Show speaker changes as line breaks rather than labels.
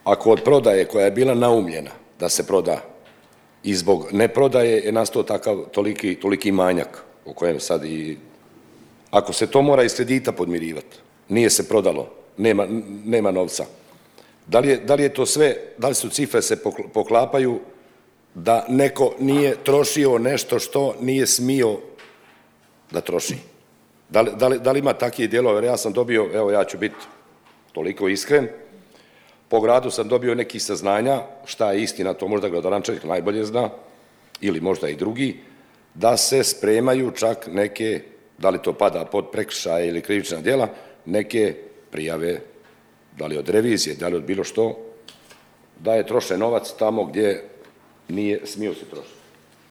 ako od prodaje koja je bila naumljena da se proda i zbog neprodaje je nastao takav toliki manjak o kojem sad i... Ako se to mora iz kredita podmirivati, nije se prodalo, nema novca. Da li je to sve, da li su cifre se poklapaju da neko nije trošio nešto što nije smio da troši? Da li ima takvih dijelova? Ja sam dobio, evo ja ću biti toliko iskren, po gradu sam dobio nekih saznanja, šta je istina, to možda gradonačelnik najbolje zna, ili možda i drugi, da se spremaju čak neke, da li to pada pod prekršaje ili krivična djela, neke prijave, da li od revizije, da li od bilo što, da je trošen novac tamo gdje nije smio se trošiti.